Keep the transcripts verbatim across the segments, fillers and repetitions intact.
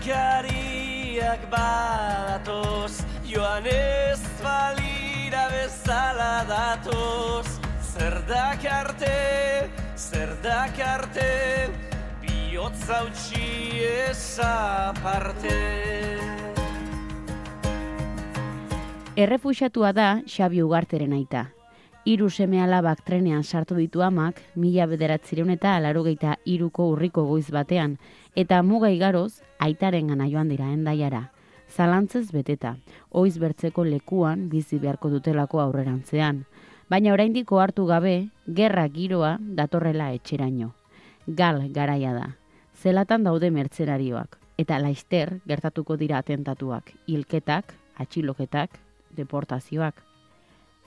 Kenkariak badatoz, joan ez balira bezala datoz. Zer dakarte, zer dakarte, bihotza utxi ezaparte. Errefuxiatua da Xabi Ugarteren aita. Hiru seme alabak trenean sartu ditu amak, mila bederatzireun eta laurogeita hiruko urriko goiz batean, eta muga igaroz, aitaren gana joan dira Hendaiara. Zalantzez beteta, oiz bertzeko lekuan bizi beharko dutelako aurrerantzean. Baina oraindik ohartu gabe, gerra giroa datorrela etxeraino. Gal garaia da. Zelatan daude mertzenarioak, eta laizter gertatuko dira atentatuak, hilketak, atxiloketak, deportazioak.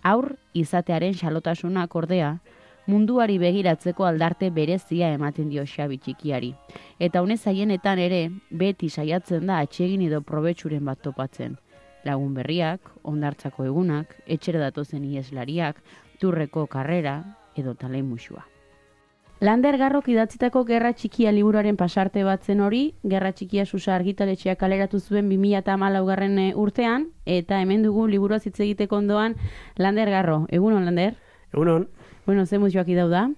Aur izatearen xalotasunak ordea, munduari begiratzeko aldarte berezia ematen dio Xabi txikiari. Eta honez haienetan ere, beti saiatzen da atsegin edo probetxuren bat topatzen. Lagun berriak, ondartzako egunak, etxera datozen ieslariak, turreko karrera edo talen musua. Lander Garrok idatzitako Gerra Txikia liburuaren pasarte bat zen hori, Gerra Txikia Susa argitaletxeak kaleratu zuen bi mila hamalaugarren urtean, eta hemen dugu liburua hitz egiteko ondoan Lander Garro. Egunon, Lander? Egunon. Bueno, ze muzioak idau da?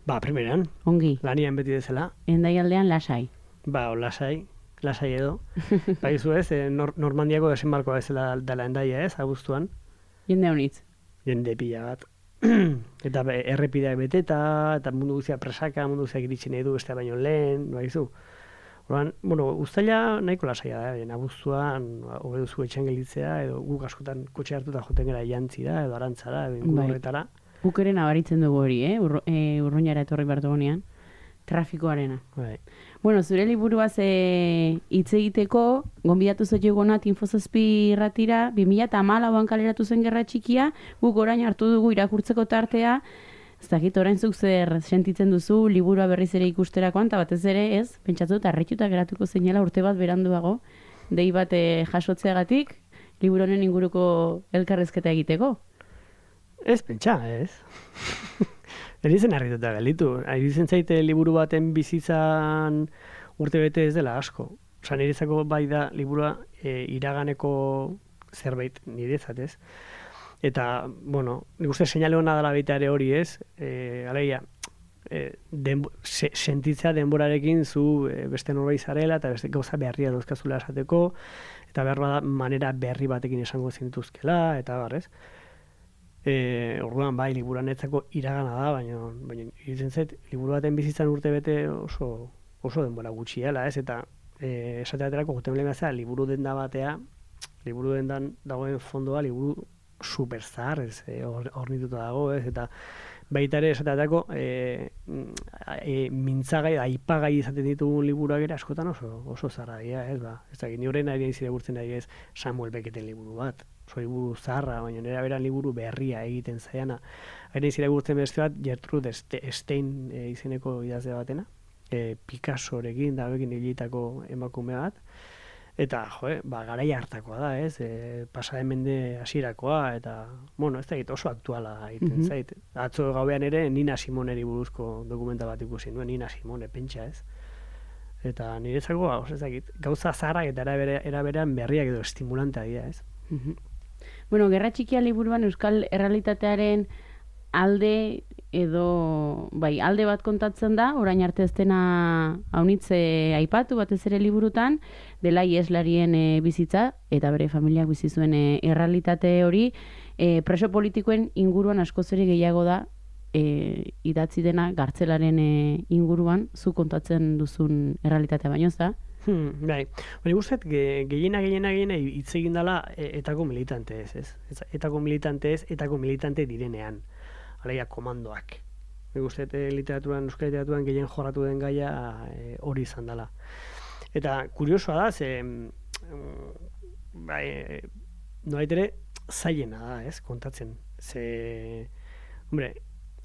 Ba, primeran. Ongi. Lanian beti dezela. Endaialdean lasai. Ba, o lasai, lasai edo. Ba, izu ez, eh, nor Normandiako desembarkoa ezela dela Hendaia ez, abuztuan. Jende honitz. Jende pila bat. Eta be, errepideak beteta, eta mundu guztia presaka, mundu guztiak iritsi nahi du, beste baino lehen, ba, izu. Orduan, bueno, uztaila nahiko lasaia da, ben, abuztuan, hobe duzu etxan gelitzea, edo guk askotan kotxe hartuta joten gara jantzi da, edo arantzara, edo ingur horretara. Guk ere nabaritzen dugu hori, eh? Ur, e, urruñara etorri bertogonean. Trafikoarena. Bai. Bueno, zure liburuaz e, hitz egiteko, gonbidatu zote gonat Infozazpi irratira, bi mila hamalauan kaleratu zen Gerra Txikia, guk orain hartu dugu irakurtzeko tartea, ez dakit orain zuk zer sentitzen duzu liburua berriz ere ikusterakoan, eta batez ere ez, pentsatu eta arretxuta geratuko zeinela urte bat beranduago, dei bat e, jasotzeagatik, liburu honen inguruko elkarrezketa egiteko. Ez, pentsa, ez. Erizen harrituta galitu. Erizen zaite liburu baten bizitzan urte bete ez dela asko. Osa, niretzako bai da liburua e, iraganeko zerbait nirezat, ez? Eta, bueno, nik uste seinale hona dela baita ere hori, ez? E, alegia, e, denbo, se, sentitzea denborarekin zu e, beste norbait zarela eta beste gauza berria dauzkazula esateko, eta behar bada manera berri batekin esango zintuzkela, eta bar, ez? E, orduan bai, liburuan etzako iragana da, baina, baina iritzen zait, liburu baten bizitzan urte bete oso, oso denbora gutxiela, ez? Eta e, esateaterako juten lehemazea, liburu denda batea, liburu dendan dagoen fondoa, liburu super zahar, ez, e, or, ornituta dago, ez? Eta baita ere esateaterako e, e, mintzagai, aipagai izaten ditugun liburuak ere askotan oso, oso zarra dira, ez? Ba, ez da, ni horren ari izire gurtzen ari ez Samuel Becketen liburu bat. Oso liburu zaharra, baina nera beran liburu berria egiten zaiana. Hain izira gurtzen beste bat, Gertrude Stein e, izeneko idazle batena, e, Picassorekin, dabekin hilitako emakume bat, eta, joe, ba, garai hartakoa da, ez, e, pasaren mende hasierakoa, eta, bueno, ez da egit oso aktuala egiten mm-hmm. zait. Atzo gauean ere, Nina Simoneri buruzko dokumenta bat ikusi nuen, Nina Simone, pentsa, ez. Eta niretzako, oso ez da egit, gauza zaharrak eta eraberean berriak edo estimulantea dira, ez. Mm-hmm. Bueno, Gerra Txikia liburuan euskal errealitatearen alde edo, bai, alde bat kontatzen da, orain arte ez dena haunitze aipatu batez ere liburutan, dela ieslarien e, bizitza, eta bere familiak bizi zuen e, errealitate hori, e, preso politikoen inguruan askoz ere gehiago da, e, idatzi dena gartzelaren e, inguruan, zu kontatzen duzun errealitatea baino ez da? Hmm, bai, hori guztet, ge, gehiena, gehiena, gehiena hitz egin dela e, etako militante ez, ez? Etako militante ez, etako militante direnean. Alegia, komandoak. Nik guztet, e, literaturan, euskal literaturan gehien jorratu den gaia e, hori izan dela. Eta kuriosoa da, ze, mm, bai, e, noait ere, zailena da, ez, kontatzen. Ze, hombre,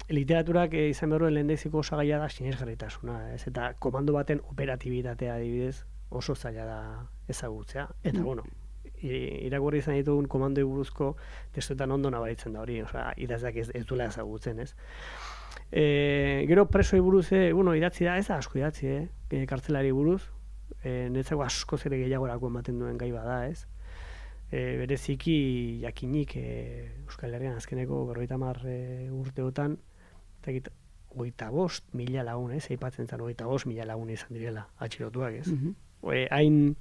literaturak e, izan behar duen lehendeziko osagaia da sinesgarritasuna, ez? Eta komando baten operatibitatea adibidez oso zaila da ezagutzea. Eta, mm. bueno, irakurri izan ditugun komandoi buruzko testuetan ondo nabaritzen da hori, osea, idazleak ez, ez duela ezagutzen, ez? E, gero presoi buruz, e, bueno, idatzi da, ez da asko idatzi, eh? E, kartzelari buruz, e, netzako asko zere gehiagorako ematen duen gai bada, ez? E, bereziki jakinik e, Euskal Herrian azkeneko berrogeita hamar e, urteotan, eta hogeita bost mila lagun, ez? Eipatzen zen hogeita bost mila lagun izan direla atxilotuak, ez? Mm-hmm. E, hain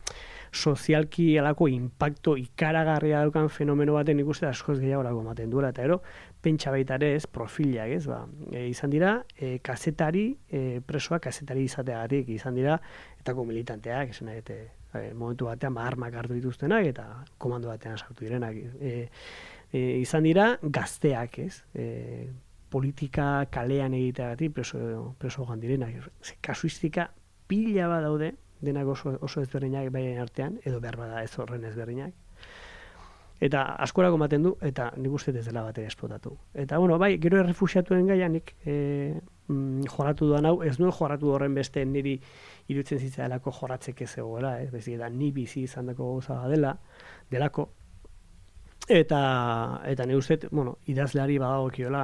sozialki alako impacto ikaragarria daukan fenomeno baten ikuste askoz gehiagorako ematen duela, eta ero, pentsa baita ere ez, profilak, ez, ba, e, izan dira, e, kazetari, e, presoak kazetari izateagatik, izan dira, etako militanteak, esan nahi, e, momentu batean, ba, armak hartu dituztenak, eta komando batean sartu direnak, e, e, izan dira, gazteak, ez, e, politika kalean egiteagatik preso, preso joan direnak, kasuistika pila bat daude, denak oso, oso ezberdinak baien artean, edo behar bada ez horren ezberdinak. Eta askorako ematen du, eta nik uste ez dela bat ere esplotatu. Eta, bueno, bai, gero errefuxiatuen gaianik e, mm, joratu duan hau, ez nuen joratu horren beste niri iruditzen zitzaelako joratzek ez egoela, ez bezik, eta ni bizi izan dako gauza dela, delako. Eta, eta nik uste, bueno, idazleari badagokiola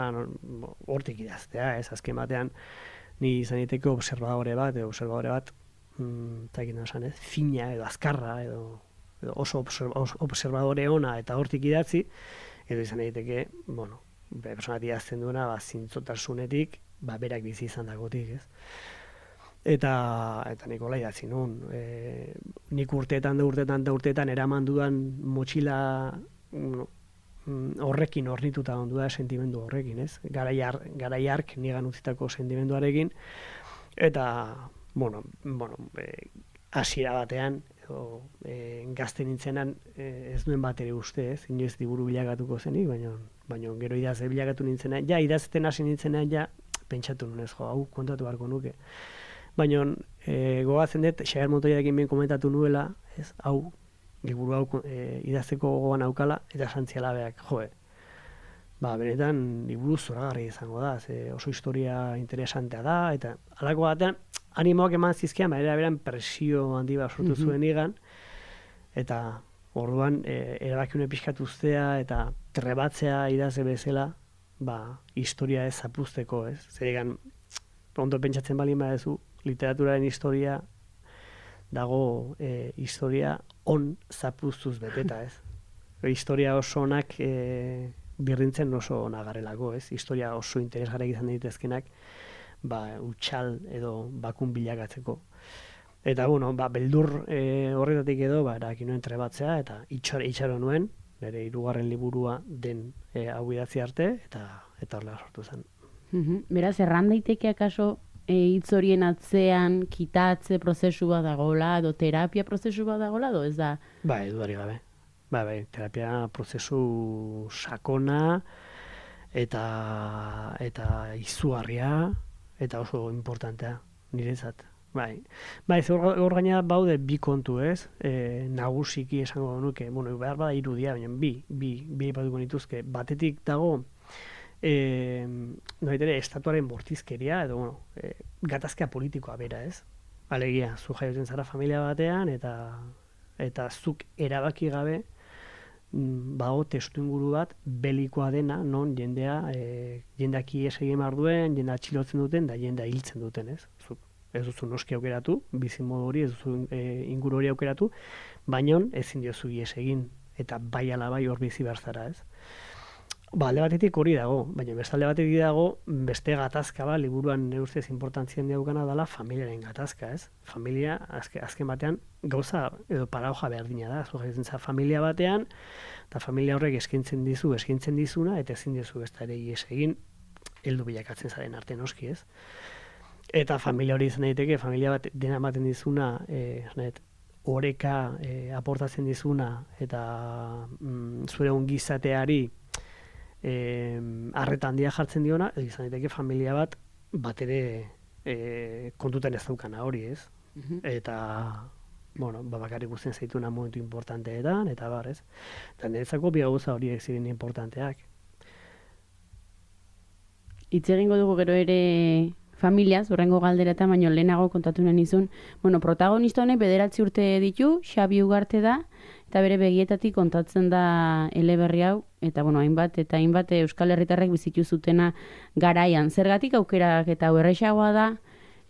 hortik idaztea, ez azken batean, ni izan diteke observadore bat, edo observadore bat, eta egin esan ez, fina edo azkarra edo, edo oso observadore ona eta hortik idatzi, edo izan egiteke, bueno, personat idazten duena, ba, zintzotasunetik, ba, berak bizi izan dagotik, ez? Eta, eta Nikola idatzi nun, e, nik urteetan da urteetan da urteetan eraman dudan motxila no, horrekin ornituta ondu da sentimendu horrekin, ez? Garaiar, garaiark nigan utzitako sentimenduarekin, eta bueno, bueno, e, hasiera batean, edo, e, gazte nintzenan e, ez nuen bat ere uste, ez, inoiz liburu bilakatuko zenik, baina, baina gero idazte bilakatu nintzenan, ja, idazten hasi nintzenan, ja, pentsatu nunez, jo, hau kontatu beharko nuke. Baina, e, gogatzen dut, Xabier Montoyarekin ben komentatu nuela, ez, hau, liburu hau e, idazteko gogoan aukala, eta santzialabeak, joe, ba, benetan, liburu zoragarri izango da, ze oso historia interesantea da, eta halako batean, animoak eman zizkian, baina beran presio handi bat sortu zuen igan, eta orduan e, erabakiune pixkatu uztea eta trebatzea idazle bezala, ba, historia ez zapuzteko, ez? Zer egan, ondo pentsatzen bali badezu, literaturaren historia dago e, historia on zapuztuz beteta, ez? Historia oso onak e, birrintzen oso onagarrelako, ez? Historia oso interesgarriak izan daitezkenak, ba, utxal edo bakun bilakatzeko. Eta, bueno, ba, beldur e, horretatik edo, ba, erakin nuen trebatzea, eta itxaro, itxaro nuen, bere hirugarren liburua den e, hau idatzi arte, eta eta horrela sortu zen. Mm-hmm. Beraz, erran daiteke akaso hitz e, horien atzean kitatze prozesu bat dagoela, edo terapia prozesu bat dagoela, edo ez da? Ba, edudari gabe. Ba, ba, terapia prozesu sakona, eta, eta izugarria, eta oso importantea, niretzat. Bai, bai, hor gaina baude bi kontu, ez? E, nagusiki esango nuke, bueno, behar bada irudia, baina bi, bi, bi ipatuko nituzke. Batetik dago, e, noitere, estatuaren bortizkeria, edo, bueno, e, gatazkea politikoa bera, ez? Alegia, zu jaiotzen zara familia batean, eta eta zuk erabaki gabe, bago testu inguru bat belikoa dena, non jendea, e, jendeak ies egin behar duen, jendea atxilotzen duten, da jendea hiltzen duten, ez? Zuk ez duzu noski aukeratu, bizimodu hori, ez duzu e, inguru hori aukeratu, baina ezin diozu ies egin, eta bai ala bai hor bizi behar zara, ez? Ba, alde batetik hori dago, baina beste alde batetik dago, beste gatazka ba, liburuan nire ustez importantzien daukana dela familiaren gatazka, ez? Familia, azke, azken batean, gauza edo paradoja berdina da, zu jaiotzen za familia batean, eta familia horrek eskaintzen dizu, eskaintzen dizuna, eta ezin dizu ez da ere ies egin, heldu bilakatzen zaren arte noski, ez? Eta familia hori izan daiteke, familia bat dena ematen dizuna, eh, net, oreka eh, aportatzen dizuna, eta mm, zure ongizateari eh, arreta handia jartzen diona, edo izan daiteke familia bat bat ere eh, kontutan ez daukana hori, ez? Mm-hmm. Eta, bueno, bakarrik guztien zaituna momentu importanteetan, eta bar, ez? Eta niretzako bi gauza horiek ziren importanteak. Hitz egingo dugu gero ere familiaz, horrengo galdera eta baino lehenago kontatu nahi nizun. Bueno, protagonista honek bederatzi urte ditu, Xabi Ugarte da, eta bere begietatik kontatzen da eleberri hau, eta bueno, hainbat eta hainbat Euskal Herritarrek bizitu zutena garaian. Zergatik aukerak eta erresagoa da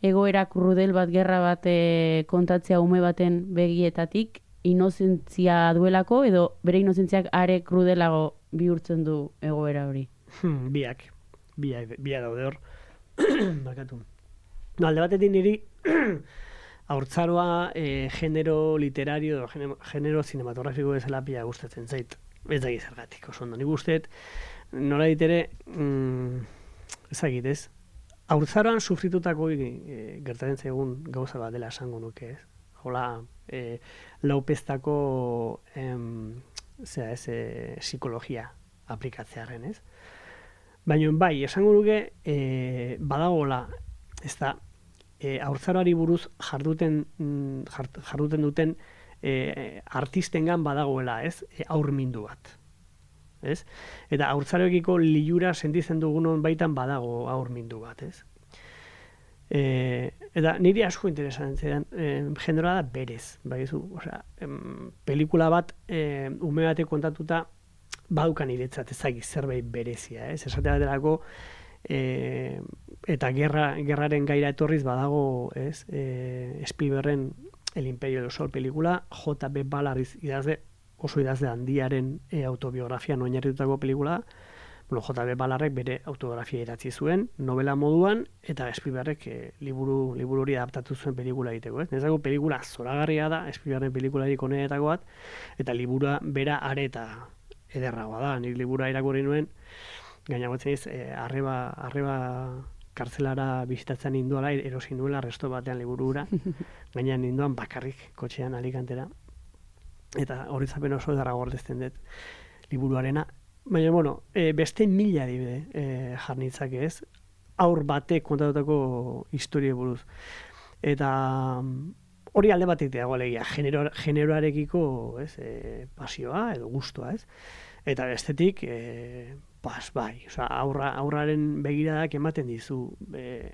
egoera krudel bat, gerra bat e, kontatzea ume baten begietatik, inozentzia duelako, edo bere inozentziak are krudelago bihurtzen du egoera hori? Hmm, biak, biak, biak daude hor. Bakatu. No, alde batetik niri haurtzaroa e, genero literario edo genero, genero cinematografiko bezala pila gustatzen zait. Ez da gizargatik, oso ondo. Nik usteet, nola ditere, mm, ezagit ez, haurtzaroan sufritutako e, gertatzen zaigun gauza bat dela esango nuke, ez? Hola, e, laupeztako em, zera, ez, e, psikologia aplikatzearen, ez? Baina bai, esango nuke, e, badagola, ez da, e, haurtzaroari buruz jarduten, jart, jarduten duten e, artistengan badagoela, ez? E, aurmindu bat. Ez? Eta haurtzaroekiko liura sentitzen dugunon baitan badago aurmindu bat, ez? E, eta niri asko interesatzen zidan, e, genera da berez, baizu, osea, em, pelikula bat e, ume batek kontatuta badukan iretzat ezagik zerbait berezia, ez? Esate baterako e, eta gerra, gerraren gaira etorriz badago, ez? E, Spielbergen El Imperio del Sol pelikula, J B Ballard idazle, oso idazle handiaren e, autobiografian oinarritutako pelikula. Bueno, J B Ballardek bere autobiografia idatzi zuen, novela moduan, eta Spielbergek e, liburu, liburu hori adaptatu zuen pelikula egiteko. Ez? Nezako pelikula zoragarria da, Spielbergen pelikularik onenetako bat, eta liburua bera areta ederragoa da. Nik liburua irakurri nuen, gainagotzen ez, e, arreba, arreba kartzelara bizitatzen ninduala, erosi nuela resto batean liburura, gainean ninduan bakarrik kotxean Alicantera. Eta hori zapen oso edarra gordezten dut liburuarena. Baina, bueno, e, beste mila adibide e, jarnitzak ez, aur batek kontatutako historie buruz. Eta hori alde batek dago alegia, genero, generoarekiko ez, e, pasioa edo gustua, ez? Eta bestetik, e, pas, bai, oza, aurra, aurraren begiradak ematen dizu, e,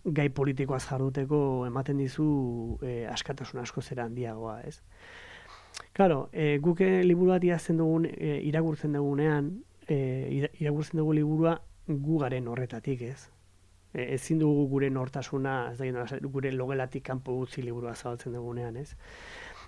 gai politikoaz jarduteko ematen dizu e, askatasun asko zera handiagoa, ez? Claro, e, guk liburu bat idazten dugun, e, irakurtzen dugunean, e, irakurtzen dugu liburua gu garen horretatik, ez? E, ezin dugu gure nortasuna, ez da, gure logelatik kanpo utzi liburua zabaltzen dugunean, ez?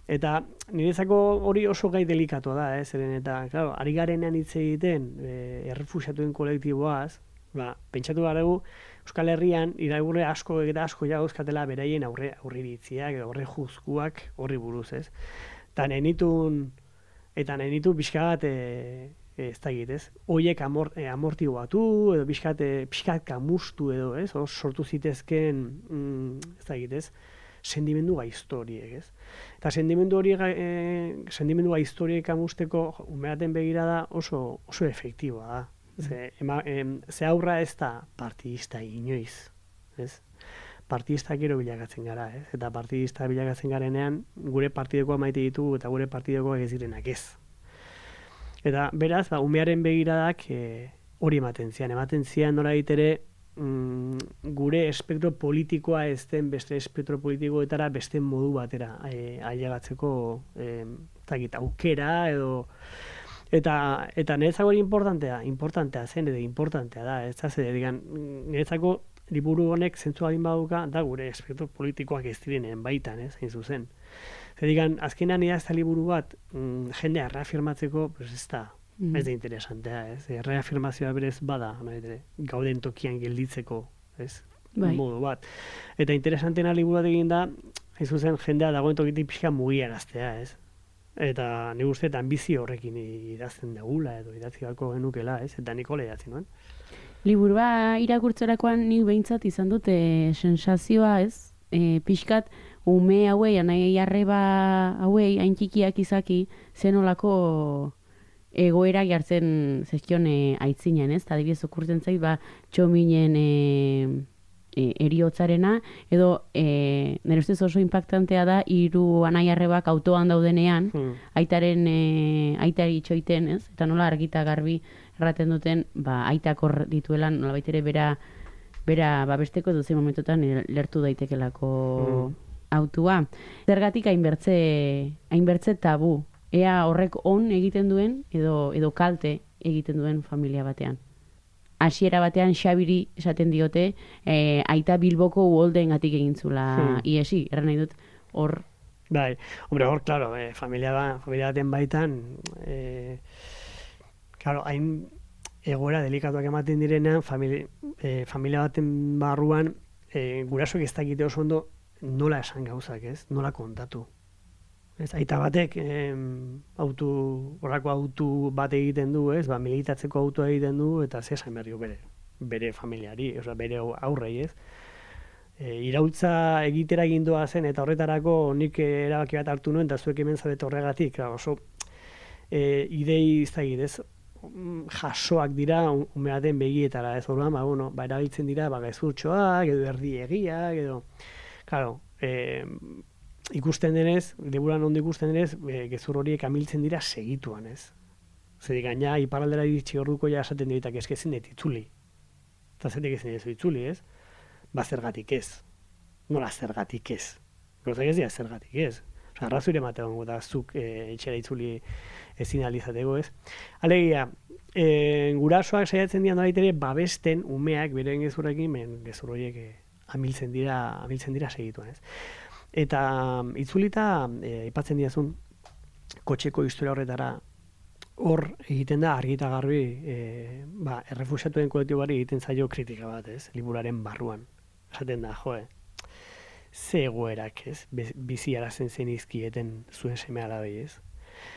Eta niretzako hori oso gai delikatoa da, ez? Zeren eta, claro, ari garenean hitz egiten, e, errefuxiatuen kolektiboaz, ba, pentsatu garegu, Euskal Herrian, irakurle asko eta asko jagozkatela beraien aurre, aurriritziak, aurre juzkuak horri buruz, ez? Eta nenitun, eta nenitu pixkat, e, e, ez da egitez, oiek amor, e, amortibatu, edo pixkat, e, pixkat kamustu edo, ez? O, sortu zitezken, mm, ez da egitez, sendimendu gaiztoriek, ez? Eta sendimendu hori, e, sendimendu gaiztoriek amusteko, umeaten begirada oso, oso efektiboa da. Ze, ema, em, ze aurra ez da partidista inoiz, ez? Partidista gero bilakatzen gara, ez? Eta partidista bilakatzen garenean, gure partidekoa maite ditu eta gure partidekoak ez direnak ez. Eta beraz, ba, umearen begiradak e, hori ematen zian. Ematen zian nola ditere, mm, gure espektro politikoa ez den beste espektro politikoetara beste modu batera e, ailegatzeko e, zakit, aukera edo eta eta niretzako hori importantea, importantea zen edo importantea da, ez da zer, digan, niretzako liburu honek zentzu adin baduka da gure espektro politikoak ez direnen baitan, ez, hain zuzen. Zer digan, azkenean idazta liburu bat mm, jendea reafirmatzeko, pues ez da, mm. ez da interesantea, ez, reafirmazioa berez bada, nahi, gauden tokian gelditzeko, ez, bai. Modu bat. Eta interesantena liburu bat egin da, hain zuzen, jendea dagoen tokitik pixka mugiaraztea, ez. Eta nik uste eta ambizio horrekin idazten dugula edo idatzi galko genukela, ez? Eta Nikola idatzi nuen. Liburua irakurtzerakoan nik behintzat izan dute sensazioa, ez? E, pixkat, ume hauei, anai arreba hauei, hain txikiak izaki, zenolako egoera jartzen zezkion e, aitzinen, ez? Eta adibidez okurtzen zait, ba, txominen e, e, eriotzarena, edo e, nire ustez oso impactantea da, hiru anai arrebak autoan daudenean, hmm. aitaren, e, aitari itxoiten, ez? Eta nola argita garbi erraten duten, ba, aitak hor dituela, nola baitere bera, bera babesteko edo zein momentotan lertu daitekelako hmm. autua. Zergatik hainbertze, hainbertze tabu, ea horrek on egiten duen, edo, edo kalte egiten duen familia batean. hasiera batean Xabiri esaten diote, e, aita Bilboko uholdeengatik egin zula hmm. iesi, erran nahi dut, hor... Bai, hombre, hor, claro, eh, familia, ba, familia baten baitan, eh, claro, hain egoera delikatuak ematen direnean, familia, eh, familia baten barruan, eh, gurasoek ez dakite oso ondo nola esan gauzak, ez? Nola kontatu. Ez, aita batek, eh, autu, horrako autu bat egiten du, ez? Ba, militatzeko autua egiten du, eta ze esan berrio bere, bere familiari, oza, bere aurrei, ez? E, iraultza egitera egindoa zen, eta horretarako nik erabaki bat hartu nuen, eta zuek hemen zabete horregatik, oso e, idei izagit, ez? Jasoak dira umeaten begietara, ez orduan, ba, bueno, ba, erabiltzen dira, ba, gezurtxoak, edo erdiegiak, edo, claro, e, ikusten denez, liburan ondo ikusten denez, e, gezur horiek amiltzen dira segituan, ez? Zer gaina, iparraldera iritsi orduko ja esaten diritak ezkezin dut itzuli. Eta zetik ezin ez itzuli, ez? Ba, zergatik ez. Nola zergatik ez. Gauzak ez dira zergatik ez. Osa, arrazoire ematen da zuk e, etxera itzuli ezin alizateko, ez. Alegia, e, gurasoak saiatzen dira nolait ere babesten umeak beren gezurrekin, ben gezur horiek e, amiltzen dira, amiltzen dira segituan, ez. Eta itzulita, e, ipatzen diazun, kotxeko historia horretara, hor egiten da argi eta garbi, e, ba, errefuxiatuen kolektibari egiten zaio kritika bat, ez, liburaren barruan. Esaten da, joe, ze egoerak, ez, bizi arazen zen izkieten zuen seme alabei, ez.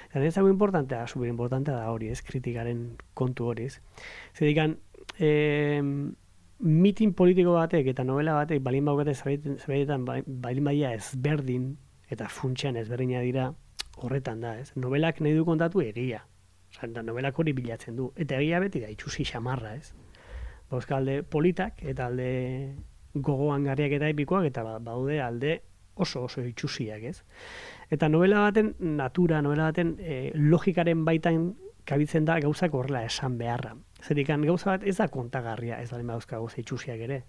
Eta nezago importantea, super importantea da hori, ez, kritikaren kontu hori, ez. Zedikan, e, mitin politiko batek eta novela batek balin baukate zerbaitetan balin badia ezberdin, eta funtsean ezberdina dira, horretan da, ez. Novelak nahi du kontatu egia. Osa, novelak hori bilatzen du. Eta egia beti da, itxusi xamarra, ez. Bauzka alde politak eta alde gogoan garriak eta epikoak, eta baude alde oso oso itxusiak, ez. Eta novela baten natura, novela baten e, logikaren baitan kabitzen da gauzak horrela esan beharra. Zerikan gauza bat ez da kontagarria, ez balen bauzka gauza itxusiak ere.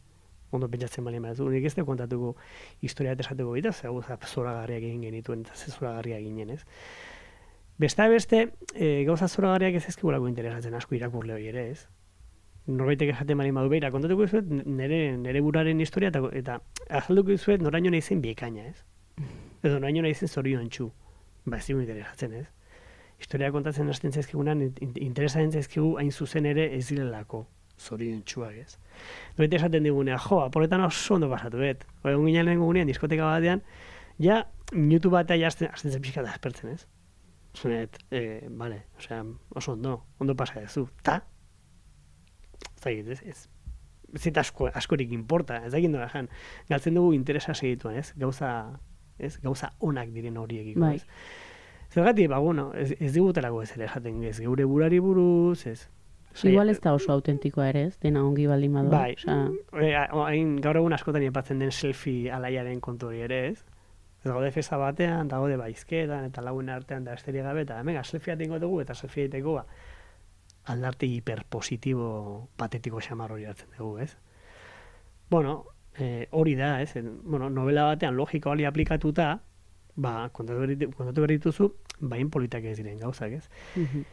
Ondo pentsatzen balen baduzu, nik ez da kontatuko historia eta esateko bita, ze gauza zoragarriak egin genituen, eta ze zoragarriak ginen, ez. Besta beste, e, gauza zoragarriak ez ezkigulako interesatzen asko irakurle hori ere, ez. Norbaitek esaten bali madu behira, kontatuko izuet nire, nire buraren historia eta, eta azalduko izuet noraino nahi zen biekaina, ez? Edo noraino nahi zen zorion txu. Ba, ez digu interesatzen, ez? Historia kontatzen hasten zaizkigunan, interesatzen zaizkigu hain zuzen ere ez direlako zorion txuak, ez? Norbaitek esaten digunea, jo, aporretan oso ondo pasatu, bet? Egun ginen lehen gunean, diskoteka batean, ja, minutu batea ja azten zen pixka da aspertzen, ez? Zunet, eh, vale, osea, oso ondo, ondo pasa dezu, ta? Zagit, ez, ez, ez asko, askorik importa, ez dakit nola jan, galtzen dugu interesa segituan, ez, gauza, ez, gauza onak diren horiekiko, ez. Zergatik, ba, bueno, ez, ez digutelako ez ere jaten, ez, geure burari buruz, ez. Igual ez da oso autentikoa ere, ez, dena ongi baldin badua. Bai, hain gaur egun askotan epatzen den selfie alaiaren kontu hori ere, ez. Ez gaude festa batean, da gaude baizketan, eta lagun artean da esterik gabe, eta mega, selfie atengo dugu, eta selfie egiteko, ba, aldarte hiperpositibo patetiko xamar hori hartzen dugu, ez? Bueno, eh, hori da, ez? En, bueno, novela batean logika hori aplikatuta, ba, kontatu berrituzu, bain politak ez diren gauzak, ez? Mm-hmm.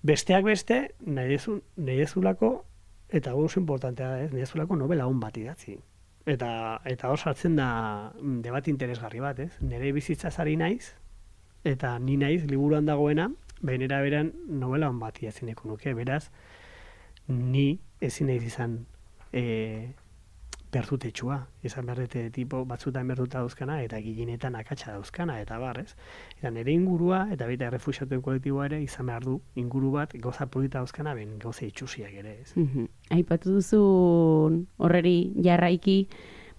Besteak beste, nahi dezulako, eta oso importantea da, ez? Nahi dezulako novela hon bat idatzi. Eta, eta hor sartzen da debat interesgarri bat, ez? Nire bizitzaz ari naiz, eta ni naiz, liburuan dagoena, bainera beran novela hon bat idatzineko nuke, beraz, ni ezin naiz izan e, bertutetxua, izan berdete tipo batzutan bertuta dauzkana, eta giginetan akatsa dauzkana, eta bar, ez? Eta nire ingurua, eta baita errefuxiatuen kolektiboa ere, izan behar du inguru bat, gauza polita dauzkana, ben gauza itxusiak ere, ez? Mm-hmm. Aipatu duzu horreri jarraiki,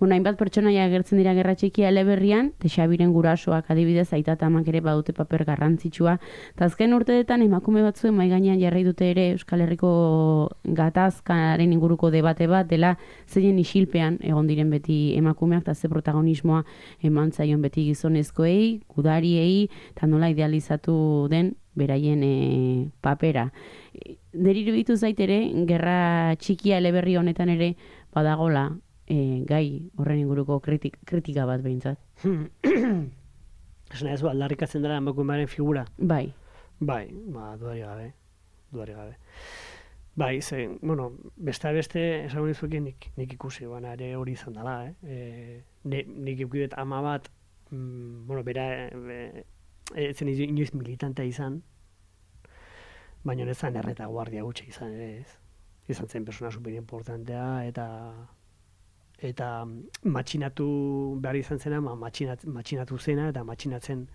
bueno, hainbat pertsonaia agertzen dira Gerra Txikia eleberrian, te Xabiren gurasoak adibidez aita eta amak ere badute paper garrantzitsua. Ta azken urteetan emakume batzuen mahai gainean jarri dute ere Euskal Herriko gatazkaren inguruko debate bat dela zeinen isilpean egon diren beti emakumeak eta ze protagonismoa eman zaion beti gizonezkoei, gudariei, eta nola idealizatu den beraien e, papera. Deriru ditu zaitere, Gerra Txikia eleberri honetan ere badagola E, gai horren inguruko kritik, kritika bat behintzat. Esna ez, aldarrikatzen dara emakumearen figura? Bai. Bai, ba, duari gabe. Duari gabe. Bai, ze, bueno, beste beste, esan nizuekin nik, nik ikusi, baina ere hori izan dela, eh? E, ne, nik ikudet ama bat, mm, bueno, bera, e, e, zen inoiz militantea izan, baina ez zen erreta guardia gutxi izan ere, ez? Izan zen persona super importantea, eta eta matxinatu behar izan zena, ma, matxinat, matxinatu zena, eta matxinatzen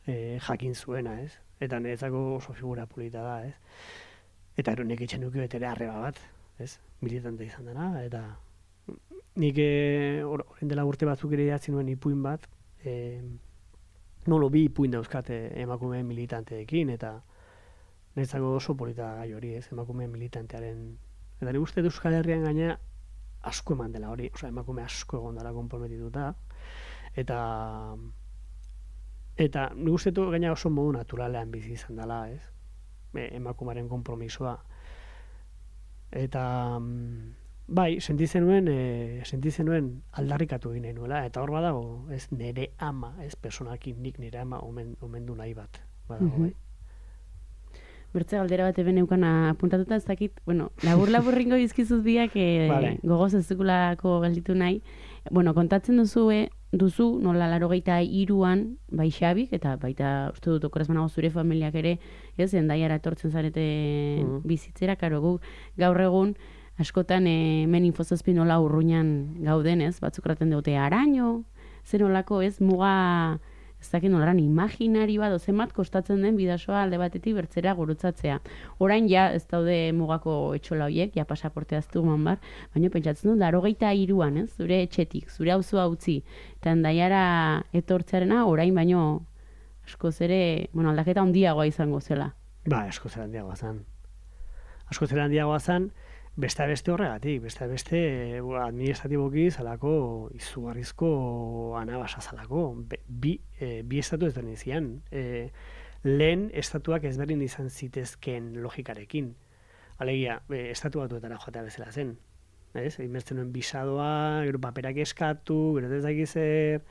e, jakin zuena, ez? Eta niretzako oso figura polita da, ez? Eta ero nik etxen nuke betere arreba bat, ez? Militante izan dena, eta nik horren dela urte batzuk ere idatzi nuen ipuin bat, e, nolo bi ipuin dauzkate emakume militanteekin, eta niretzako oso polita gai hori, ez? Emakume militantearen, eta nik uste Euskal Herrian gaina asko eman dela hori, osea, emakume asko egon dela konprometituta, eta eta nik uste du gaina oso modu naturalean bizi izan dela, ez? Emakumaren konpromisoa. Eta bai, sentitzen nuen, e, sentitzen nuen aldarrikatu egin nahi nuela, eta hor badago, ez nire ama, ez personakin nik nire ama omen, omendu nahi bat. Badago, mm-hmm. bai. Bertze galdera bat eben eukana apuntatuta ez dakit, bueno, labur-laburringo bizkizuz biak e, vale. Gogoz ez dukulako gelditu nahi. Bueno, kontatzen duzu, e, duzu, nola larogeita iruan, bai Xabik, eta baita, uste dut, okoraz banago zure familiak ere, ez, endaiara etortzen zarete mm. bizitzera, karo gu, gaur egun, askotan, e, hemen infozazpi nola urruinan gauden, ez, batzuk raten dute, araño, zer nolako, ez, muga, ez dakit nolaran, imaginari bat, zenbat kostatzen den bidasoa alde batetik bertzera gurutzatzea. Orain ja, ez daude mugako etxola horiek, ja pasaportea aztu man bar, baina pentsatzen dut, larogeita iruan, ez, zure etxetik, zure auzua utzi, eta endaiara etortzearena, orain baino, askoz ere, bueno, aldaketa handiagoa izango zela. Ba, askoz ere handiagoa zan. Askoz ere handiagoa zan, beste beste horregatik, beste beste administratiboki zalako izugarrizko anabasa zalako. Bi, e, bi estatu ezberdin zian. E, lehen estatuak ezberdin izan zitezken logikarekin. Alegia, e, estatu batuetara joatea bezala zen. Ez? Inbertzen nuen bisadoa, gero paperak eskatu, gero ez dakiz zer,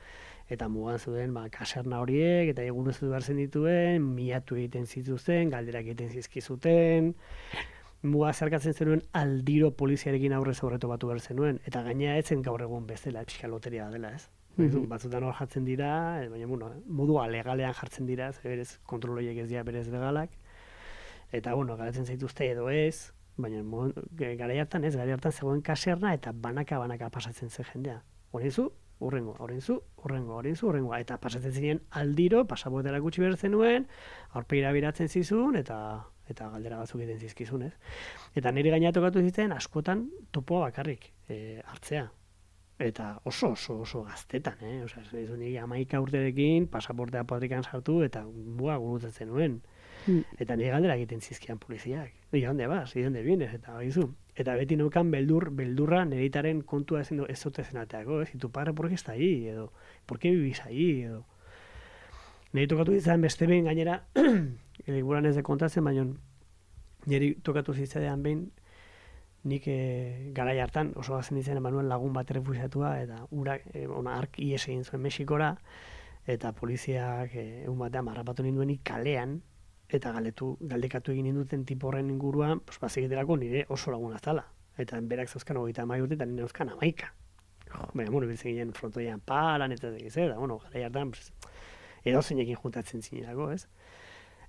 eta mugan zuen ba, kaserna horiek, eta egun ez du behar zen dituen, miatu egiten zituzten, galderak egiten zizkizuten, muga zerkatzen zenuen aldiro poliziarekin aurrez aurreto batu behar zenuen, eta gaina etzen gaur egun bezala, pixka loteria dela, ez? Mm-hmm. Batzutan hor jartzen dira, baina bueno, modua legalean jartzen dira, ze berez kontroloiek ez dira berez legalak, eta bueno, garatzen zaituzte edo ez, baina garai hartan ez, garai hartan zegoen kaserna, eta banaka-banaka pasatzen zen jendea. Horrenzu, urrengo, horrenzu, urrengo, horrenzu, urrengo, eta pasatzen ziren aldiro, pasaportera gutxi behar zenuen, aurpegira biratzen zizun, eta eta galdera batzuk egiten zizkizun, ez? Eta niri gaina tokatu zitzen askotan topoa bakarrik e, hartzea. Eta oso, oso, oso gaztetan, eh? Osea, ez du niri hamaika urterekin pasaportea patrikan sartu eta bua gurutzatzen nuen. Mm. Eta niri galdera egiten zizkian poliziak. ¿Y dónde vas? ¿Y dónde vienes? Eta baizu. Eta beti neukan beldur, beldurra neritaren kontua ez zote zenateako, ez? Y tu padre, ¿por qué está ahí? Edo, ¿por qué vivís ahí? Edo. Niri tokatu zitzen beste behin gainera, liburan ez de kontatzen, baina niri tokatu zitzadean behin, nik e, garai hartan, oso gazen ditzen emanuen lagun bat refusiatua, eta urak, e, ona, ark ies egin zuen Mexikora, eta poliziak e, egun batean marrapatu ninduen kalean, eta galetu, galdekatu egin ninduten tipo horren inguruan, pues, bazikiterako nire oso lagun azala. Eta berak zauzkan hogeita amai urte, eta nire zauzkan amaika. Baina, bueno, biltzen ginen frontoian palan, eta ez da, bueno, garai hartan, pues, edo zeinekin juntatzen zinerako, ez?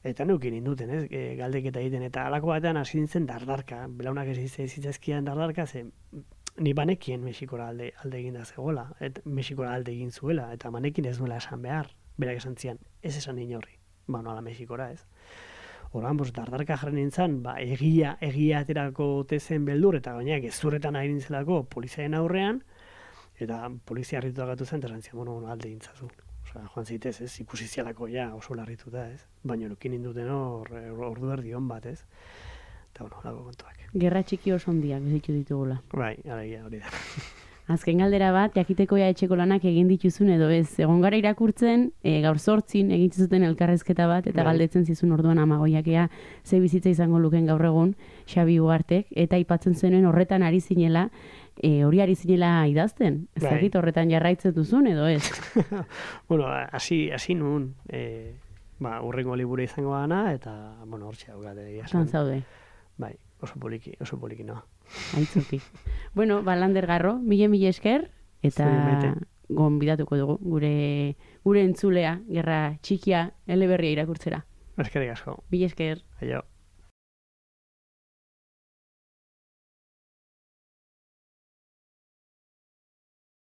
Eta neukin induten, ez? E, galdeketa egiten, eta alako batean hasi nintzen dardarka, belaunak ez zitzazkian dardarka, ze ni banekien Mexikora alde, alde egin da zegoela, et Mexikora alde egin zuela, eta manekin ez nuela esan behar, berak esan zian, ez esan inorri, ba noala Mexikora, ez? Horan, bos, dardarka jarren nintzen, ba, egia, egia aterako tezen beldur, eta gainak ez zuretan ari nintzelako poliziaren aurrean, eta polizia harritu agatu zen, eta esan zian, bueno, alde egin zazu. Osa, joan zitez, ez, ikusi zialako ja oso larrituta, ez? Baina nukin induten hor, ordu erdi hon bat, ez? Eta, bueno, lago kontuak. Gerra txiki oso ondiak bizitu ditugula. Bai, alegia, hori da. Azken galdera bat, jakiteko ja etxeko lanak egin dituzun edo ez. Egon gara irakurtzen, e, gaur zortzin egin zuten elkarrezketa bat, eta bai. Galdetzen zizun orduan amagoiakea ze bizitza izango luken gaur egun, Xabi Ugartek, eta aipatzen zenuen horretan ari zinela, E, hori ari zinela idazten, ez bai. Dakit horretan jarraitzen duzun edo ez? Bueno, hasi hasi nun, e, ba, urrengo liburu izango gana, eta, bueno, hortxe hau gade. Zan zaude. Bai, oso poliki, oso poliki noa. Aitzuki. Bueno, ba, Lander Garro, mile mile esker, eta gonbidatuko dugu gure gure entzulea, gerra txikia, eleberria irakurtzera. Eskerrik asko. Mila esker. Aio.